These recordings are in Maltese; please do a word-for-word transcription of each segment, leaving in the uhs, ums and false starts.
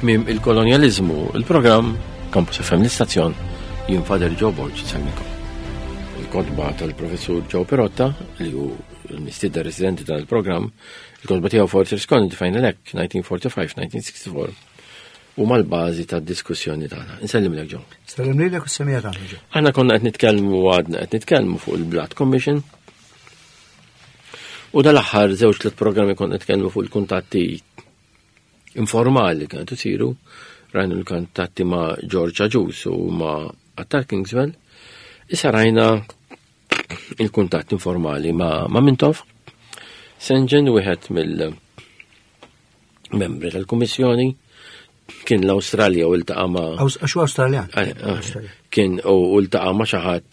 Tmiem il-kolonjaliżmu, il-programm Campus F M l-istazzjon, jien Father Joe Borg nsellmikom. Il-kotba tal-professur Joe Pirotta, li hu l-mistieden residenti tal-programm, il-kotba tiegħu Fortress Colony, Final Act, nineteen forty-five, nineteen sixty-four, u mal-bażi tad-diskussjoni tagħna. Insellimlek, Joe. Sellim lilek u s-semija tagħna, Joe. Aħna konna qed nitkellmu, għadna qed nitkellmu fuq il-Blood Commission. U dal-aħħar żewġ tliet programmi konna nitkellmu fuq il-kuntatti informali li kienu isiru, rajna l-kuntatti ma' George Agius u ma' Attard Kingswell. Issa rajna il-kuntatt informali ma', ma' Mintoff. Saint John, wieħed mill-membri tal-Kummissjoni, kien l-Awstralja u ltaqa' ma' Aws-, għax hu Awstraljan. Ah, ah, kien u ltaqa' ma' xi ħadd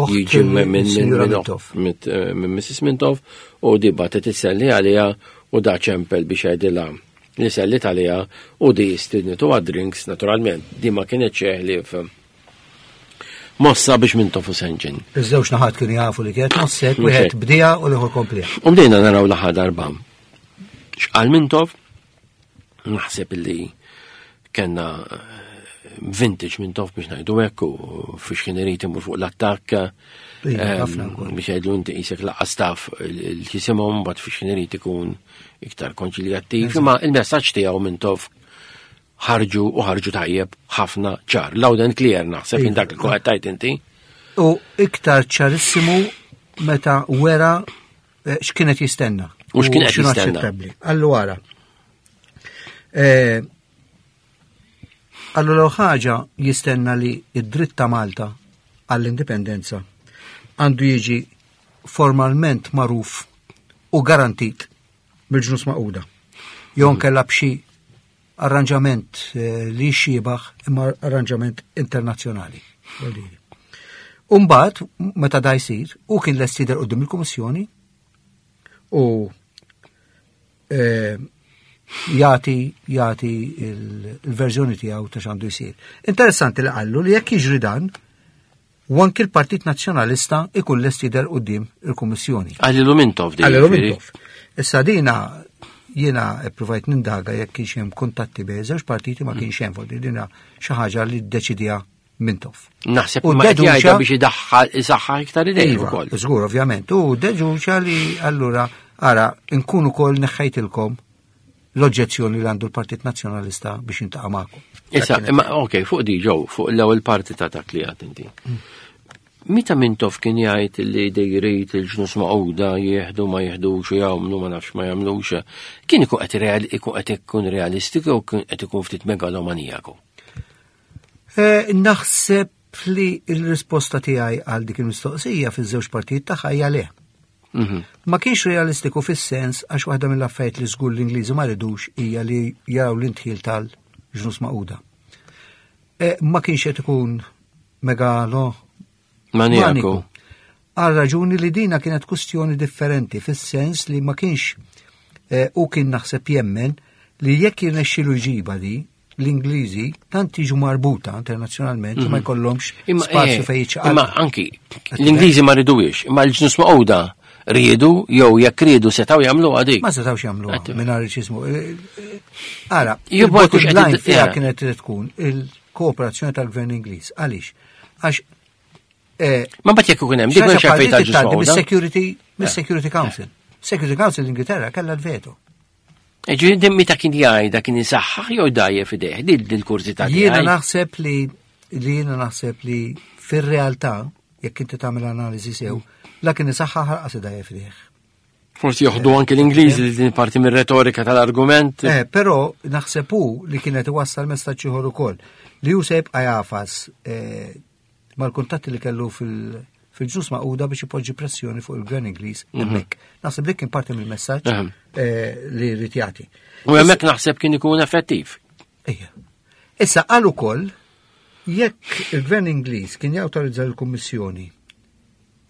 Oħt jiġi minn, minn, minn, Sinjura minn, Mintoff. minn, minn Missus Mintoff, u di bagħtet isselli għaliha u da ċempel biex jgħidilha li sellit għaliha u di stidnitu għad-drinks, naturalment. Di ma kienet ħlief mossa biex Mintoff u Saint John. Iż-żewġ naħat kienu jafu li kienet mossek, Mhux wieħed hekk. bdija u l-ieħor komplija. U bdejna naraw l-aħħar darba. X'qal Mintoff? Naħseb illi kellna vintage Mintoff biex ngħidu hekk, u fiex kien irid imur fuq l-attakk, Iva, ehm, ħafna wkoll. biex jgħidlu inti qisek laqas taf il-ġisimhom, mbagħad fiex kien irid ikun iktar konċiljattiv, Eżatt. imma il-messaġġ tiegħu Mintoff ħarġu u ħarġu tajjeb ħafna ċar. Loud and clear naħseb Iva. dak li kont tajt inti. U iktar ċarissimu meta wera, eh, x'kienet jistenna. U x'kien qed U x'inhu jistenna. aċċettabbli. Allura, eh, allura ħaġa jistenna li id-dritt ta' Malta għall-indipendenza għandu jiġi formalment magħruf u garantit mill-Ġnus Magħquda. Jew nkella b'xi arranġament, eh, li xibaħ imma arranġament internazzjonali. Umbagħad, meta da jsir, u kien lest jidher quddiem il-Kummissjoni u, eh, jagħti, jagħti il-, il-verżjoni tiegħu ta' x'għandu jsir. Interessanti li qallu li jekk jiġri dan, u anki l-Partit Nazzjonalista ikun lest jidher quddiem il-Kummissjoni. Għallilu Mintoff di, Għallilu jiġifieri. Mintoff. Issa dina jiena pprovajt nindaga jekk kienx hemm kuntatti bejn żewġ partiti, ma kienx hemm, vuol dire dina xi ħaġa li ddeċidija Mintoff. Naħseb U ma qed deduċa jgħidha biex idaħħal isaħħaħ iktar idejh Iva, ukoll. Żgur, ovvjament. U deduċa li allura ara nkun ukoll neħħejtilkom l-oġġezzjoni li għandu l-Partit Nazzjonalista biex jintaqa' magħkom. Issa, Dak imma ok, fuq di ġew, fuq l-ewwel parti ta' dak li għad inti. Meta Mintoff kien jgħid li dejrit il-Ġnus Magħquda jieħdu ma jieħdux u jagħmlu ma nafx ma jagħmlux, kien ikun qed real-, ikun qed ikun realistiku u kien qed ikun ftit megalomanijaku? Eh, naħseb li l-risposta tiegħi għal dik il-mistoqsija fiż-żewġ partijiet tagħha hija le. Mhm. Ma kienx realistiku fis-sens għax waħda mill-affarijiet li żgur l-Ingliżi ma ridux hija li jaraw l-intħil tal-Ġnus Magħquda. Eh, ma kienx qed ikun megalo Maniaku. Maniku. Għal raġuni li dina kienet kustjoni differenti fis-sens li ma kienx, eh, u kien naħseb jemmen li jekk jirnexxilu jġiba di l-Ingliżi tant jiġu marbuta internazzjonalment li ma Mhm. jkollhomx Imma, spazju eh, fejn jiċċaqalqu. Imma anki l-Ingliżi ma riduwiex, imma l-Ġnus Magħquda riedu jew jekk riedu setgħu jagħmlu għadik. Ma setgħux jagħmluha Għattu. mingħajr ċismu. Eh, eh, ara, Jew il-bottom ma jkunx qed line id- fiha eh. kienet tkun il-kooperazzjoni tal-Gvern Ingliż. Għaliex? Għax, eh, Ma mbagħad jekk ikun hemm dik xi ħaġa mhux bħal fejn dik tal-Ġnus tgħaddi Magħquda. mis-Security, mis-Security Eh. Council. Security Council l-Ingilterra kellha l-veto. E ġifieri din meta kien jgħidha kien isaħħaħ jew dajjef f'idejh, din il-kurżità Jiena tiegħi. naħseb li, li jiena naħseb li fir-realtà, jekk inti tagħmel analiżi sew, la kien isaħħaħ lanqas idajjef f'idejh. Forsi joħdu anke l-Ingliżi li din parti mir-retorika tal-argument. Eh, però naħseb hu li kienet iwassal messaġġ ieħor ukoll li hu se jibqa' jafas, eh, mal-kuntatti li kellu fil-, fil-Ġnus Magħquda biex ipoġġi pressjoni fuq il-Gvern Ingliż Mhm. hemmhekk. Naħseb dik kien parti mill-messaġġ, Ehem. eh, li jrid jagħti. U hemmhekk naħseb kien ikun effettiv. Ejja. Issa qal ukoll jekk il-Gvern Ingliż kien jawtorizza l-Kummissjoni,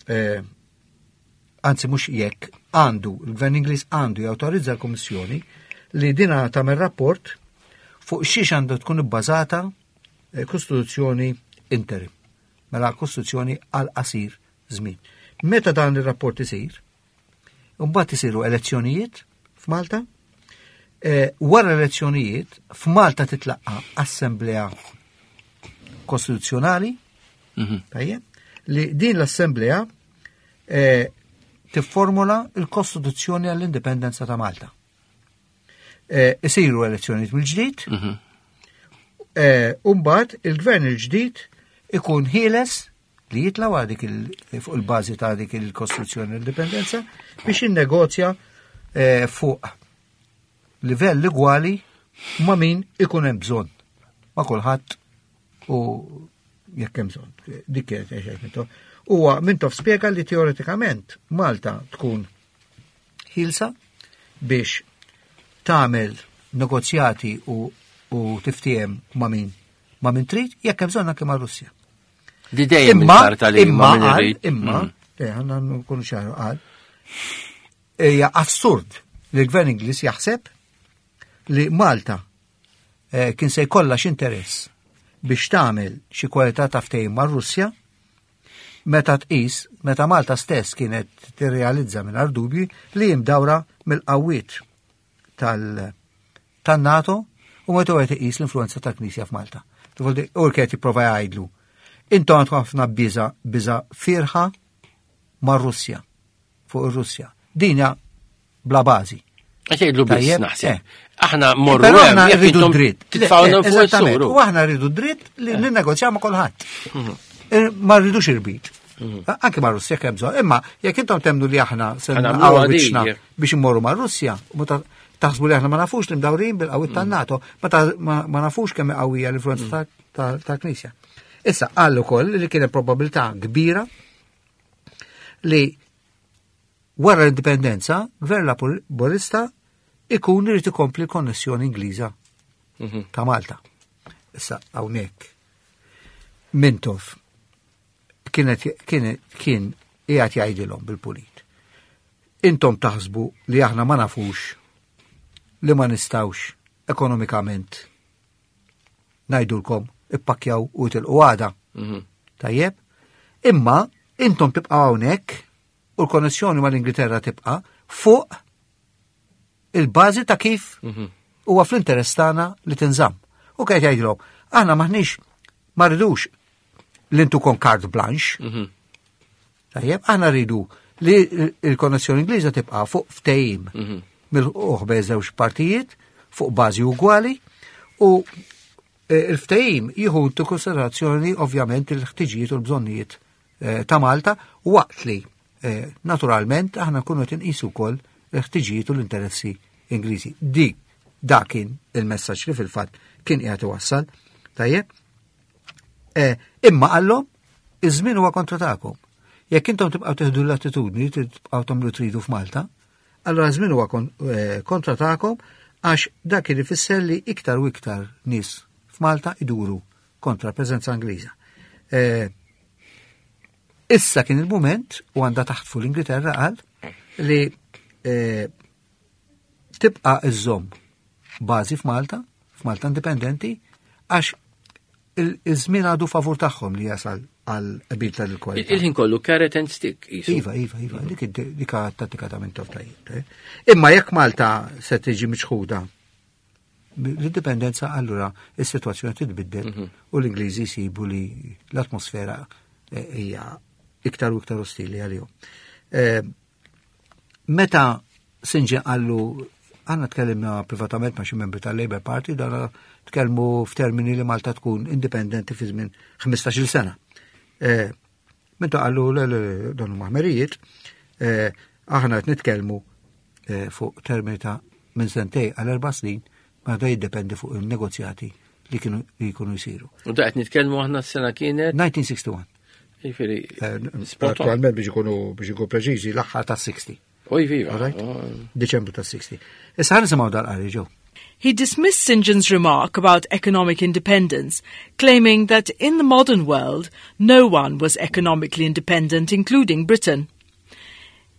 eh, anzi mhux jekk, għandu, il-Gvern Ingliż għandu jawtorizza l-Kummissjoni li dina tagħmel rapport fuq xiex għandu tkun ibbażata, eh, Kostituzzjoni interim, mela Kostituzzjoni għal qasir żmien. Meta dan ir-rapport isir, mbagħad isiru elezzjonijiet f'Malta, Eh, wara l-elezzjonijiet, f'Malta titlaqqa assemblea kostituzzjonali, Mhm. tajjeb, li din l-assemblea eh, tifformula il-Kostituzzjoni għall-Indipendenza ta' Malta. Eh, Isiru elezzjonijiet mill-ġdid, Mhm. eh, Umbagħad il-gvern il-ġdid ikun ħieles li jitla wara dik il- fuq il-bażi ta' dik il-Kostituzzjoni l-Indipendenza biex jinnegozja eh, fuq livell igwali ma' min ikun hemm bżonn. Ma' kulħadd u jekk hemm bżonn. Dik kienet xejn Mintoff. Huwa Mintoff spjega li teoretikament Malta tkun ħielsa biex tagħmel negozjati u, u tiftiehem ma' min ma' min trid jekk hemm bżonn anke ma' Russja. Di dejjem Imma, il-karta li imma, ma min qal, irid. imma, Mm. eh, għandna nkunu ċaru qal, hija assurd li l-gvern Ingliż jaħseb li Malta eh, kien se jkollha x'interess biex tagħmel xi kwalità ta' ftehim mar-Russja meta tqis, meta Malta stess kienet tirrealizza mingħajr dubji li jimdawra mill-qawwiet tal- tan-NATO u meta wieħed iqis l-influenza tal-Knisja f'Malta. U kienet jipprova jgħidlu. Intom għandkom ħafna biża biża firħa mar-Russja fuq ir-Russja. Dinja bla bażi. Għax jgħidlu biss Tajjeb, naħseb. eh. Aħna morru Però hemm, aħna jekk rridu intom dritt. Titfgħuna Le, fuq eżattament. is-suru. U aħna rridu dritt li ninnegozjaw ma' kulħadd. Mhm. Eh, ma rridux irbit. Anke ma' Russja kemm bżonn. Imma jekk intom temnu li aħna se Ħa nagħmluha naqgħu di, wiċċna jekk. biex immorru ma' Russja, u meta taħsbu li aħna ma nafux li mdawrin bil-qawwiet tan-NATO, ma ta- ma ma nafux kemm qawwija l-influenza ta- ta- tal-Knisja. Issa qal ukoll li kien hemm probabilità kbira li wara l-indipendenza, gvern laburista ikun irid ikompli l-konnessjoni Ingliża Mhm. ta' Malta. Issa hawnhekk Mintoff kienet kien kien qiegħed jgħidilhom bil-pulit. Intom taħsbu li aħna ma nafux li ma nistawx ekonomikament ngħidulkom ippakkjaw u tilqu għada. Mhm. Tajjeb? Imma intom tibqgħu hawnhekk u l-konnessjoni mal-Ingilterra tibqa' fuq il-bażi ta' kif Mhm. huwa fl-interess tagħna li tinżamm. U kien jgħidilhom, aħna maħniex ma rridux li ntukom carte blanche. Mhm. Tajjeb, aħna rridu li il-konnessjoni Ingliża tibqa' fuq ftehim Mhm. mill bejn żewġ partijiet fuq bażi ugwali u eh, il-ftehim jieħu intu konsiderazzjoni ovvjament il-ħtiġijiet u l-bżonnijiet eh, ta' Malta waqt li eh, naturalment aħna nkunu qed inqisu wkoll il-ħtiġijiet u l-interessi Ingliżi. Di dak kien il-messaġġ li fil-fatt kien qiegħed iwassal. Tajjeb? Eh, Imma qallhom iż-żmien huwa kontra tagħkom. Jekk intom tibqgħu tieħdu l-attitudni tibqgħu tagħmlu tridu f'Malta, allura żmien huwa kon- eh, kontra tagħkom għax dak kien ifisser li iktar u iktar nies f'Malta iduru kontra preżenza Ingliża. Eh, Issa kien il-moment u għandha taħt l-Ingilterra qal li eh, tibqa' iżżomm bażi f'Malta, f'Malta indipendenti, għax il- iż-żmien għadu favur tagħhom li jasal għal qbil tal-kwalità. Il-ħin kollu carrot and stick. qisu. Iva, iva, iva, dik id- dik tattika ta' Mintoff tajjeb. eh. Imma jekk Malta se tiġi miċħuda l-indipendenza allura is-sitwazzjoni titbiddel u l-Ingliżi jsibu li l-atmosfera eh, hija iktar u iktar ostili għalihom. Eh, Meta St John qallu għanna tkellimna privatament ma' xi membri tal-Labour Party, dan tkellmu f'termini li Malta tkun indipendenti fi żmien ħmistax-il sena. Eh, Meta qallu le le le, dan huma ħmerijiet, eh, aħna qed nitkellmu eh, fuq termini ta' minn sentej għal erba' snin, ma da jiddependi fuq il-negozjati li kienu li jkunu jsiru. U da qed nitkellmu aħna s-sena kienet, elf disa' mija u wieħed u sittin. jiġifieri, Eh, spot on. Attualment biex ikunu biex ikunu preċiżi l-aħħar ta' sitta. Oj, viva. All right? Oh. Diċembru ta' sittin. Issa ħa nisimgħu dal-qari ġew. He dismissed St John's remark about economic independence, claiming that in the modern world no one was economically independent, including Britain.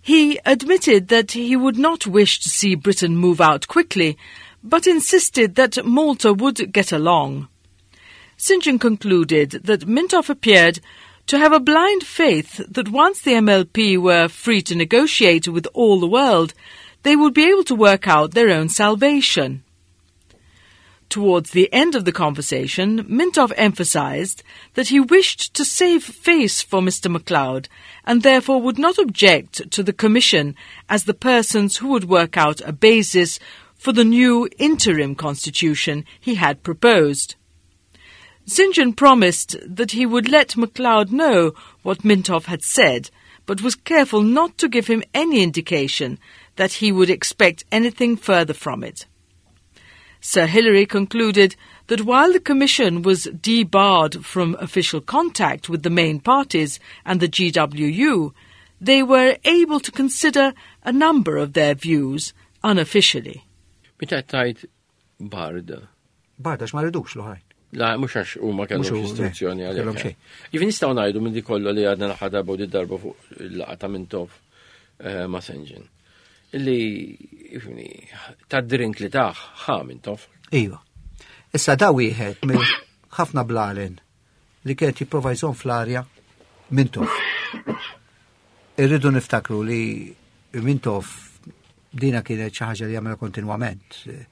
He admitted that he would not wish to see Britain move out quickly, but insisted that Malta would get along. St John concluded that Mintoff appeared to have a blind faith that once the M L P were free to negotiate with all the world, they would be able to work out their own salvation. Towards the end of the conversation, Mintoff emphasized that he wished to save face for Mister MacLeod and therefore would not object to the Commission as the persons who would work out a basis for the new interim constitution he had proposed. Saint John promised that he would let MacLeod know what Mintoff had said, but was careful not to give him any indication that he would expect anything further from it. Sir Hilary concluded that while the Commission was debarred from official contact with the main parties and the G W U, they were able to consider a number of their views unofficially. Meta tajt barred? Barred għax ma ridux l-oħrajn. La, mhux għax huma kellhom Mhux hu- istruzzjoni le, għalhekk. Kellhom xejn. Jiġifieri nistgħu ngħidu minn di kollu li għadna naħa darba u di darba fuq il-laqgħa ta' Mintoff eh, ma' Saint John. Illi, ifhimni, ta' drink li taħ, ħa Mintoff. Iva. Issa da wieħed minn ħafna blalen li kienet jipprova jżomm fl-arja Mintoff. Irridu niftakru li Mintoff dina kienet xi ħaġa li jagħmel kontinwament, eh,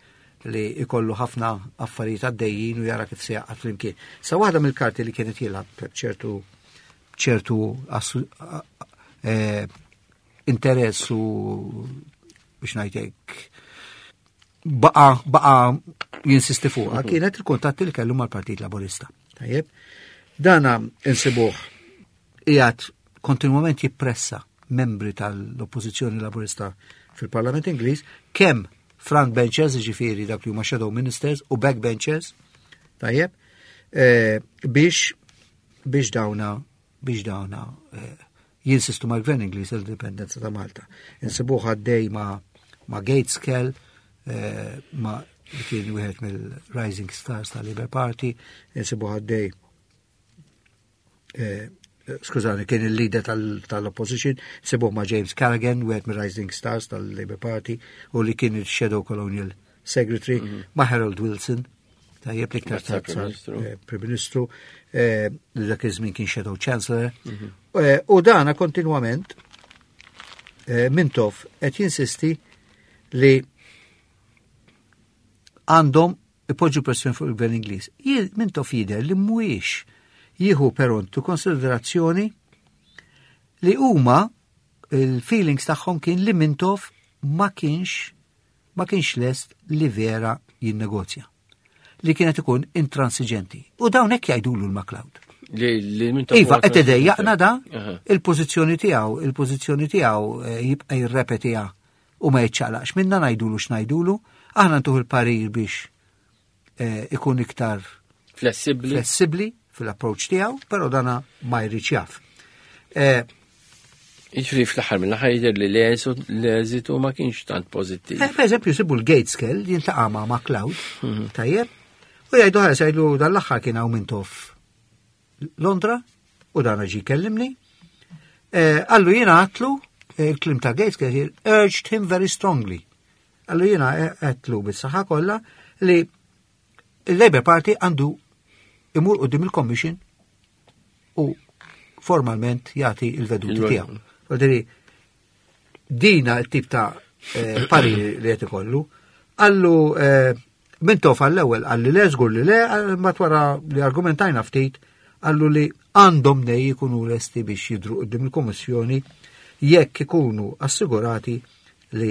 li ikollu ħafna affarijiet għaddejjin u jara kif se jaqgħad flimkien. Sa waħda mill-karti li kienet jilgħab ċertu ċertu assu- a- eh, interess u biex ngħidlek baqa baqa jinsisti fuqha kienet il-kuntatti li kellu mal-Partit Laburista. Tajjeb. Dana insibuh qiegħed kontinwament jippressa membri tal-Oppożizzjoni Laburista fil-Parlament Ingliż, kemm front benchers, ġifieri dak li huma shadow ministers, u back benchers, tajjeb, eh, biex biex dawna biex dawna eh, jinsistu mal-Gvern Ingliż l-indipendenza ta' Malta. Insibuh għaddej ma' ma' Gaitskell, eh, ma' li kien wieħed mill-Rising Stars tal-Labour Party, insibuh għaddej eh, skużani, kien il-leader tal- tal-opposition, insibuh ma' James Callaghan, wieħed mill-Rising Stars tal-Labour Party, u li kien il-Shadow Colonial Secretary, ma' Harold Wilson, tajjeb, li iktar Sar tard Prim sar, Ministru. eh, Prim Ministru, eh, li dak iż-żmien kien Shadow Chancellor. Eh, U dana kontinwament eh, Mintoff qed jinsisti li għandhom ipoġġu pressjoni fuq il-Gvern Ingliż. Jien Mintoff jidher li mhuwiex jieħu però into konsiderazzjoni li huma il-feelings tagħhom kien li Mintoff ma kienx ma kienx lest li vera jinnegozja. Li kienet ikun intransiġenti. U dawn hekk jgħidulu l-MacLeod. Li, li Mintoff Iva, huwa qed idejjaqna da Aha. il-pożizzjoni tiegħu, il-pożizzjoni tiegħu eh, jibqa' jirrepetiha u ma jiċċaqlaqx minna ngħidulu x'ngħidulu, aħna ntuh il-parir biex eh, ikun iktar Flessibli. flessibbli fil-approach tiegħu, però dana ma jridx jaf. Eh, Jiġifieri fl-aħħar mill-aħħar jidher li l-eżitu ma kienx tant pożittiv. Eh, Per eżempju, sibu l-Gaitskell jiltaqa' ma' MacLeod, tajjeb, u jgħidu ħares jgħidu dal-aħħar kien hawn Mintoff Londra, u dan ġi kellimni. Eh, Qallu jiena għedtlu, eh, il-kliem ta' Gaitskell here, urged him very strongly. Qallu jiena għedtlu bis-saħħa kollha li il-Labour Party għandu imur quddiem il-Commission u formalment jagħti il-veduti Il- tiegħu. Vuoldiri, dina il-tip ta' eh, pariri li qed ikollu. Qallu eh, Mintoff għall-ewwel qalli le, żgur li le, mbagħad wara li argumentajna ftit, qallu li għandhom nej jkunu lesti biex jidru quddiem il-Kummissjoni jekk ikunu assigurati li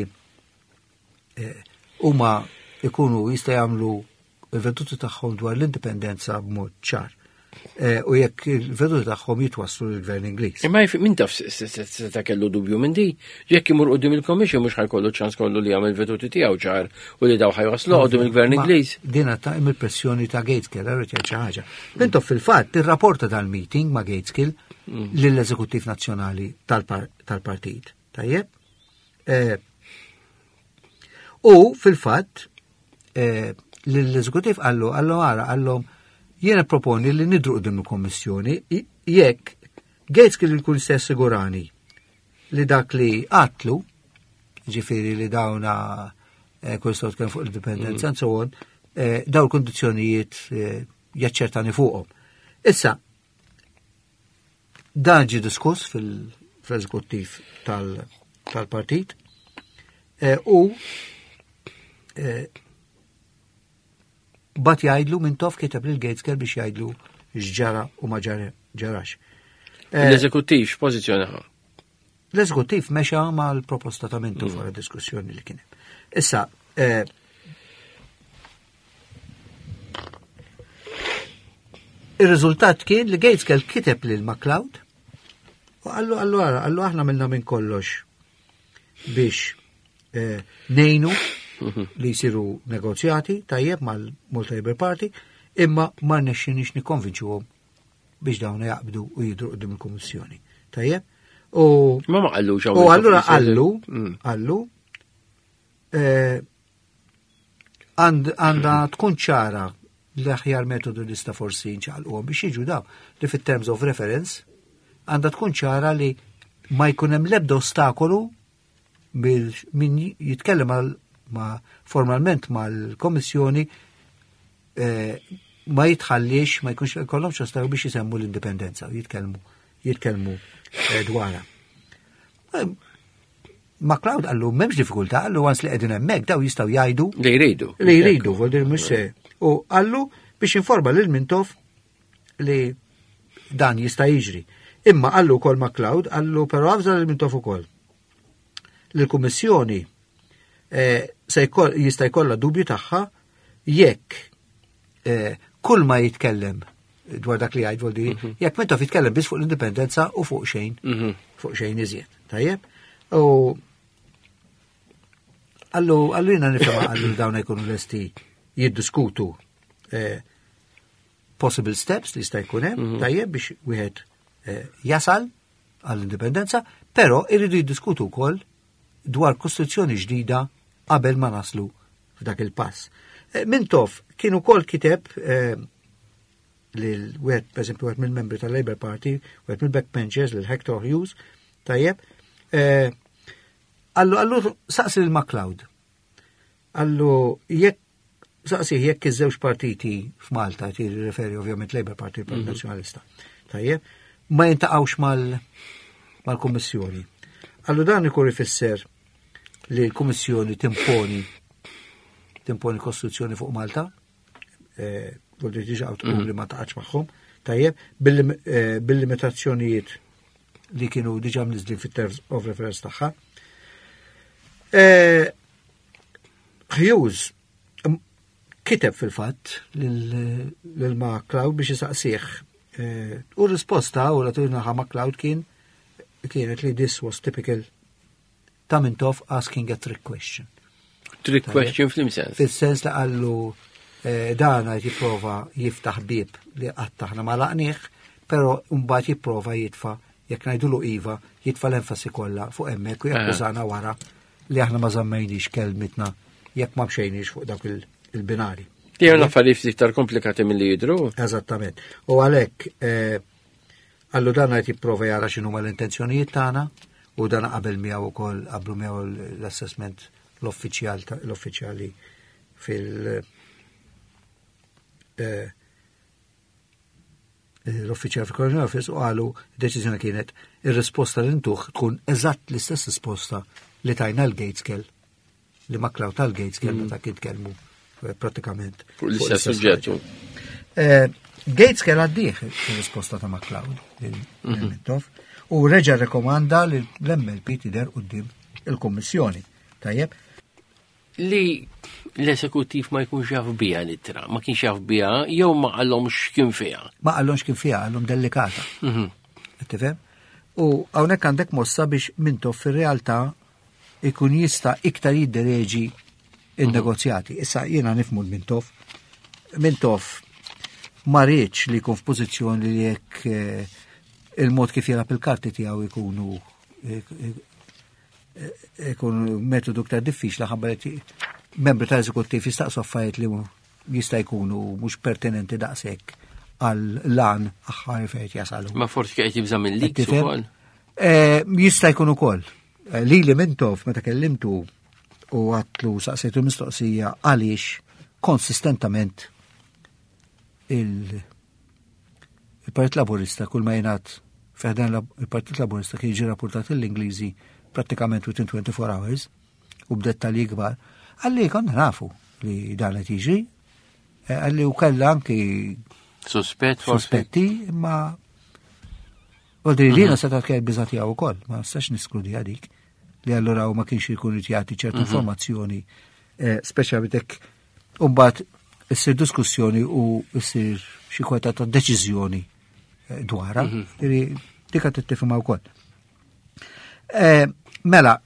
eh, huma ikunu jista' jagħmlu il-veduti tagħhom dwar l-indipendenza b'mod ċar. Eh, U jekk il-veduti tagħhom jitwasslu lill-Gvern Ingliż. Imma jif- min taf seta kellu dubju minn di, jekk imur quddiem il-Commission mhux ħa jkollu ċans kollu li jagħmel veduti tiegħu ċar u li daw ħa jwaslu quddiem il-Gvern Ma Ingliż. Dina ta' il-pressjoni ta' Gaitskell, għarret jgħid xi ħaġa. Mintoff fil-fatt irrapporta dal-meeting ma' Gaitskell lill-Eżekuttiv Nazzjonali tal-par- tal-partit. Tajjeb? Eh, U fil-fatt eh, l-Eżekuttiv qallu, qallu għara, qallu jiena proponi li nidru quddiem il-Kommissjoni i- jekk Gaitskell ikun se assigurani li dak li għedtlu, ġifieri li dawna eh, kull sot kien fuq l-indipendenza and so on, eh, daw l-kondizjonijiet eh, jaċċertani fuqhom. Issa, dan ġi diskuss fil-eżekuttiv tal-partit. Eh, u eh, bagħat jgħidlu Mintoff kiteb lil Gaitskell biex jgħidlu x'ġara u ma ġarax. Eh, L-eżekuttiv x'pożizzjoni ħa? L-eżekuttiv mexa mal-proposta ta' Mintoff wara diskussjoni li kien hemm. Issa, eh, ir-riżultat kien li Gaitskell kiteb lil MacLeod u qallu qallu ara, qallu aħna minna minn kollox biex eh, nejnu li jsiru negozjati tajjeb mal-Malta Labour Party, imma ma rnexxinix nikkonvinċuhom biex dawn jaqbdu u jidru qudiem il-Kummissjoni. Tajjeb? U Ma ma qallux u allura qallu, qallu eh, għandha tkun ċara l-aħjar metodu li sta forsi nċaqalquhom biex jiġu daw li fit-terms of reference għandha tkun ċara li ma jkun hemm l-ebda ostakolu min jitkellem ma formalment mal-Komissjoni eh, ma jitħallix, ma jkunx jkollhomx ostakolu biex jisemmu l-indipendenza u jitkellmu jitkellmu eh, dwarha. Eh, MacLeod qallu m'hemmx diffikultà, qallu once li qegħdin hemmhekk daw jistgħu jgħidu Li jridu. li jridu, vuol dire mhux se. U qallu biex informa lil Mintoff li dan jista' jiġri. Imma qallu wkoll MacLeod, qallu però avża lil Mintoff ukoll. Li l-Kummissjoni eh, se jkoll jista' jkollha dubju tagħha jekk eh, kull ma jitkellem dwar dak li jgħid vuol dire, jekk Mintoff jitkellem biss fuq l-indipendenza u fuq xejn, Mhm. fuq xejn iżjed. Tajjeb? U qallu qallu jiena nifhem qallu li dawn jkunu lesti jiddiskutu eh, possible steps li jista' jkun hemm, tajjeb biex wieħed eh, jasal għall-indipendenza, però irridu jiddiskutu wkoll dwar kostituzzjoni ġdida qabel ma naslu f'dak il-pass. Eh, Mintoff kien ukoll kiteb eh, lil wieħed pereżempju wieħed mill-membri tal-Labour Party, wieħed mill-backbenchers lil Hector Hughes, tajjeb, eh, qallu qallu saqsi lil MacLeod. Qallu jekk saqsi jekk iż-żewġ partiti f'Malta, tirreferi ovvjament Labour Party u Partit Nazzjonalista. Tajjeb, ma jintaqgħux mal mal-Kummissjoni. Qallu dan ikun ifisser li l-Kummissjoni timponi timponi kostituzzjoni fuq Malta, eh, vuol dire diġà tqum li ma taqgħodx magħhom, tajjeb, bil- eh, bil-limitazzjonijiet li kienu diġà mniżlin fit-terms of reference tagħha. Eh, Hughes m- kiteb fil-fatt lil lil MacLeod biex jisaqsih. Eh, U risposta u la ħa MacLeod kien kienet li this was typical ta' Mintoff asking a trick question. Trick question f'liema sens. Fil-sens li qallu eh, dana jipprova jiftaħ bib li qatt aħna ma għalaqnieh, però mbagħad jipprova jitfa' jekk ngħidulu iva, jitfa' l-enfasi kollha fuq hemmhekk u jakkużana wara li aħna ma żammejniex kelmitna jekk ma mxejniex fuq dak il- il-binari. Ti għan affarijiet iktar komplikati mill-li jidru. Eżattament. U għalhekk eh, qallu dan qed jipprova jara x'inhuma l-intenzjonijiet tagħna u dan qabel miegħu wkoll qablu miegħu l-assessment l-uffiċjal ta- l-uffiċjali fil- eh, l-uffiċjal fil-Colonial Office u qalu deċiżjoni kienet ir-risposta li ntuh tkun eżatt l-istess risposta li tajna l-Gaitskell li MacLeod tal-Gaitskell meta kien tkellmu eh, pratikament Fuq l-istess suġġett. Eh, Gaitskell għaddieh il-risposta ta' MacLeod lil Mintoff u reġa rekomanda li l-M L P tidher quddiem il-Kummissjoni. Tajjeb, Li l-eżekuttiv ma jkunx jaf biha l-ittra, ma kienx jaf biha, jew ma qallhomx kien fiha. Ma qallhomx kien fiha, qallhom delikata. Mhm. Qed tifhem? U hawnhekk għandek mossa biex Mintoff fir-realtà ikun jista' iktar jiddereġi il-negozjati. Issa jiena nifhmu l-Mintoff. Mintoff ma riedx li jkun f'pożizzjoni li jekk eh, il-mod kif jilgħab il-karti tiegħu ikunu eh, eh, ikun metodu iktar diffiċli ħabba li membri tal-eżekuttiv jistaqsu affarijiet li jista' jkunu mhux pertinenti daqshekk għal lan aħħar fejn jasalu. Ma forsi qed jibża' minn leaks Tifhem? ukoll. Eh, Jista' jkun ukoll. Eh, Lili Mintoff meta kellimtu u għedtlu saqsejtu mistoqsija għaliex konsistentament il- il-Partit Laburista kull ma jingħad fi ħdan il-Partit Laburista kien jiġi rapportat l-Ingliżi prattikament within twenty-four hours. u b'dettalji kbar, qalli konna nafu li dan qed jiġri, eh, qalli u kellha anki Suspett, forsi. Sospetti, imma Għodri li mm seta kien biża' tiegħu wkoll, ma nistax niskludi dik li allura u ma kienx ikun jagħti ċertu informazzjoni, eh, speċjalment hekk imbagħad issir diskussjoni u issir xi kweta ta' deċiżjoni eh, dwarha, mm dik qed tifhimha wkoll. Eh, Mela,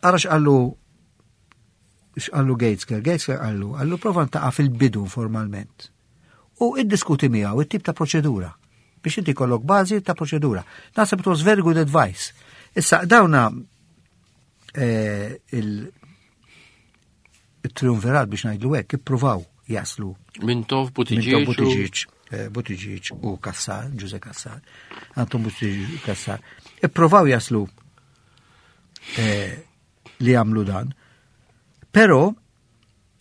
ara x'qallu x'qallu Gaitskell, Gaitskell qallu, qallu prova ltaqa' fil-bidu formalment. U iddiskuti miegħu it-tip ta' proċedura biex inti kollok bażi ta' proċedura. Naħseb it was very good advice. Issa dawna eh, il- il-triumvirat biex ngħidlu hekk ippruvaw jaslu Mintoff, Mintoff, Buttigieg. u- Buttigieg, eh, Buttigieg u Cassar, Ġużè Cassar, Anton Buttigieg u Cassar, ippruvaw jaslu eh, li jagħmlu dan. Però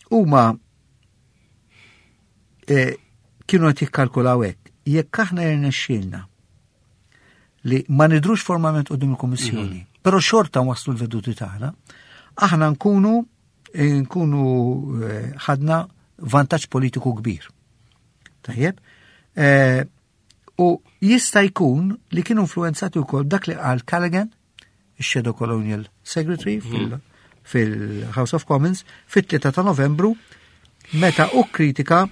huma eh, kienu qed jikkalkulaw hekk, jekk aħna jirnexxielna li ma nidrux formalment quddiem il-Kummissjoni, però xorta waslu l-veduti tagħna, aħna nkunu nkunu eh, ħadna vantaġġ politiku kbir. Tajjeb? Eh, u jista' jkun li kienu influenzati wkoll dak li qal Callaghan, il-Shadow Colonial Secretary fil- fil-House of Commons, fit-tlieta ta' Novembru, meta u kritika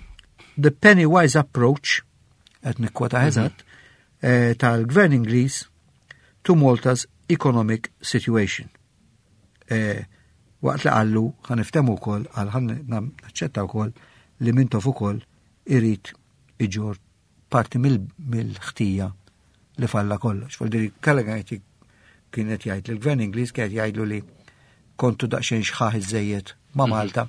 the penny wise approach, qed nikkwota eżatt, eh, tal-Gvern Ingliż to Malta's economic situation. Eh, waqt li qallu ħa niftehmu wkoll għal ħa naċċetta wkoll li Mintoff ukoll irid iġorr parti mill- mill-ħtija li falla kollox. Vuoldiri Callaghan qed kienet jgħid li l-Gvern Ingliż kienet jgħidlu li kontu daqsxejn xħaħ iżejjed ma' Malta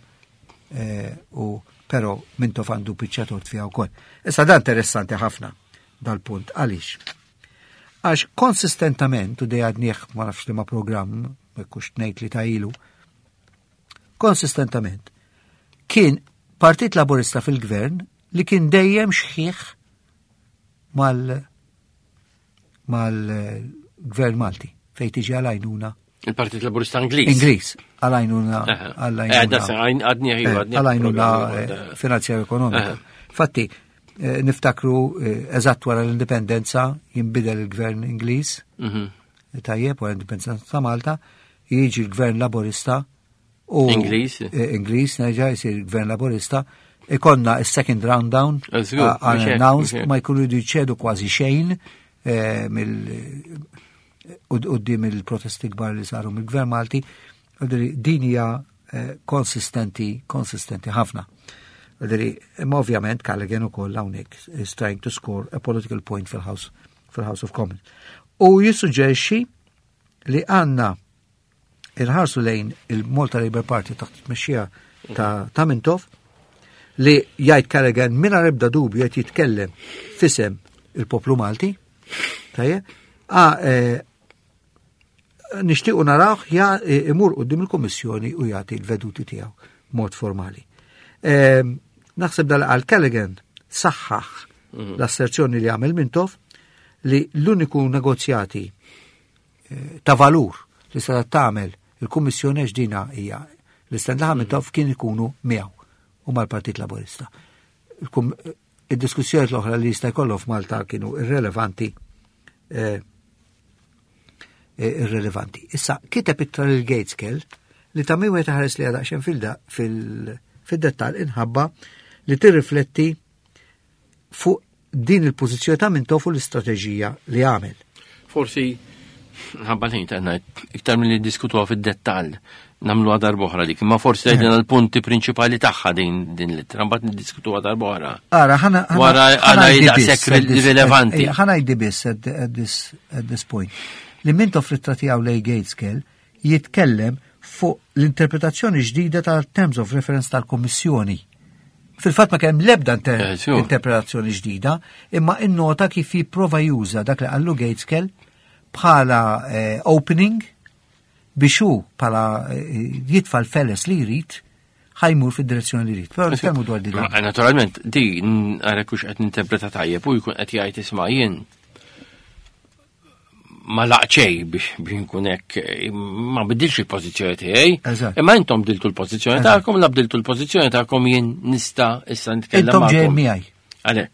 eh, u però Mintoff għandu biċċa tort fiha wkoll. Issa dan interessanti ħafna dal-punt. Għaliex? Għax konsistentament, u dejjem għednieh ma nafx li ma programm, kux tnejt li ta' ilu, konsistentament, kien Partit Laburista fil-gvern li kien dejjem xħiħ mal mal-gvern Malti, fej tiġi għal-għajnuna Il-Partit Laburista Ingliż. Ingliż, għal-għajnuna Aha. Eh, għal-għajnuna da se- għajn- għadni eh, ħiju, għadni għal-għajnuna programm, eh, eh. finanzjarja ekonomika. Aha. Fatti, eh, niftakru eh, eżatt wara l-indipendenza jinbidel il-gvern Ingliż, Mhm. tajjeb wara l-indipendenza ta' Malta, jiġi l-gvern Laburista u Ingliż. eh, Ingliż nerġa' jsir il-gvern Laburista, ikonna il-second round down Eh, żgur, mhux hekk, unannounced, mhux hekk. ma jkunu jridu jċedu kważi xejn eh, mill quddiem il-protesti kbar li saru mill-gvern Malti, Għadri, din hija eh, konsistenti, konsistenti ħafna. Għadri, imma ovvjament Callaghan ukoll hawnhekk is trying to score a political point fil-House fil-House of Commons. U jissuġġerixxi li għandna inħarsu lejn il-Malta Labour Party taħt tmexxija ta', ta' Mintoff li jgħid Callaghan mingħajr ebda dubju qed jitkellem f'isem il-poplu Malti. Tajjeb? Ah, eh, nixtiequ narawh ja eh, imur quddiem il-Kummissjoni u jagħti l-veduti tiegħu mod formali. Ehm, Naħseb dal għal Callaghan saħħaħ l-asserzjoni li għamel Mintoff li l-uniku negozjati eh, ta' valur li se tagħmel il-Kummissjoni għax dina hija l-stand li Mintoff kien ikunu miegħu u mal-Partit Laburista. Il-kum- Id-diskussjoni l-oħra li jista' jkollhom f'Malta kienu irrelevanti eh, eh, irrelevanti. Issa, kiteb ittra lil Gaitskell li ta' min wieħed ħares li għadaqxen fil-dettal inħabba li tirrifletti fuq din il-pożizzjoni ta' Mintoff u l-istrateġija li għamel. Forsi, ħabba l-ħin ta' ngħid, iktar mill-li diskutuha fid-dettall, nagħmluha darb'oħra dik, imma forsi tgħidilna l-punti prinċipali tagħha din din l-ittra, mbagħad niddiskutuha darb'oħra. Ara, ħana Wara għala daqshekk rilevanti. Ħa ngħid biss at, at this, at this point. Li Mintoff fl-ittra tiegħu lejn Gaitskell jitkellem fuq l-interpretazzjoni ġdida tal-Terms of Reference tal-Kommissjoni. Fil-fatt ma kemm l-ebda inter Eh, sure. interpretazzjoni ġdida, imma innota kif jipprova juża dak li qallu Gaitskell bħala eh, opening biex hu bħala eh, jitfa l-feles li jrid ħa jmur fid-direzzjoni li jrid. Però nitkellmu dwar din. Ma, Naturalment, di għarek hux qed ninterpreta tajjeb u jkun qed jgħid isma' jien Ma laqċej biex biex nkun hekk, ma bidilx il-pożizzjoni tiegħi. Eżatt. Imma intom bdiltu l-pożizzjoni Eżatt. tagħkom, la bdiltu l-pożizzjoni tagħkom, jien nista' issa nitkellem Intom ġejjin magħkom. miegħi. Għalhekk,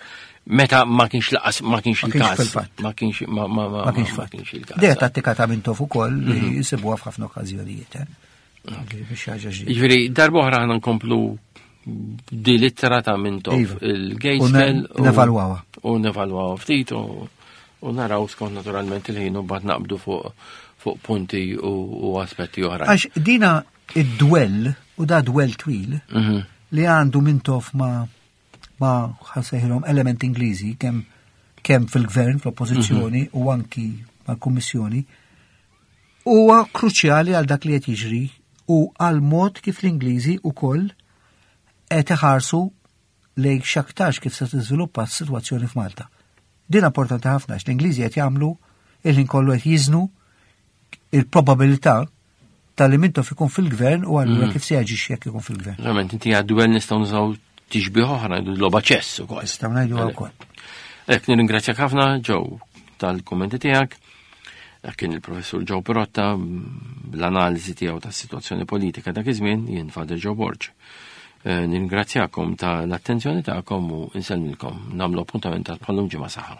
meta ma kienx laqas, ma kienx Ma kienx il-każ. fil-fatt. Ma kienx ma ma ma Ma kienx ma fatt. kienx il-każ. Dejja tattika ta' Mintoff ukoll li jisibuha f'ħafna okkażjonijiet. Eh? Biex ħaġa ġdida. Jiġifieri darba oħra ħana nkomplu di littra ta' Mintoff Iva. il-Gaitskell U ne- nevalwawha. U nevalwawha ftit u u naraw skont naturalment il-ħin u mbagħad naqbdu fuq fuq punti u, u aspetti oħra. Għax dina id-dwell, u da dwell twil, Mhm. li għandu Mintoff ma ma ħa nsejħilhom element Ingliżi kemm kemm fil-gvern, fl-oppożizzjoni u anki mal-Kummissjoni, huwa kruċjali għal dak li qed jiġri u għal mod kif l-Ingliżi ukoll qed iħarsu lejn x'aktarx kif se tiżviluppa s-sitwazzjoni f'Malta. Din importanti ħafna għax l-Ingliżi qed jagħmlu il-ħin kollu qed jiżnu il-probabilità tal-li Mintoff ikun fil-gvern u allura kif se jaġixxi jekk ikun fil-gvern. Verament, inti għad-dwell nistgħu nużaw tixbih oħra, ngħidu logħba ċess ukoll. Nistgħu ngħidu wkoll. Ek nirringrazzjak ħafna, Joe, tal-kummenti tiegħek. Dak kien il-professur Joe Pirotta bl-analiżi tiegħu tas-sitwazzjoni politika dak iż-żmien, jien Father Joe Borg. Eh, Nirringrazzjakom tal-attenzjoni tagħkom u insellmilkom. Nagħmlu appuntament tal bħallum ġimgħa saħħa.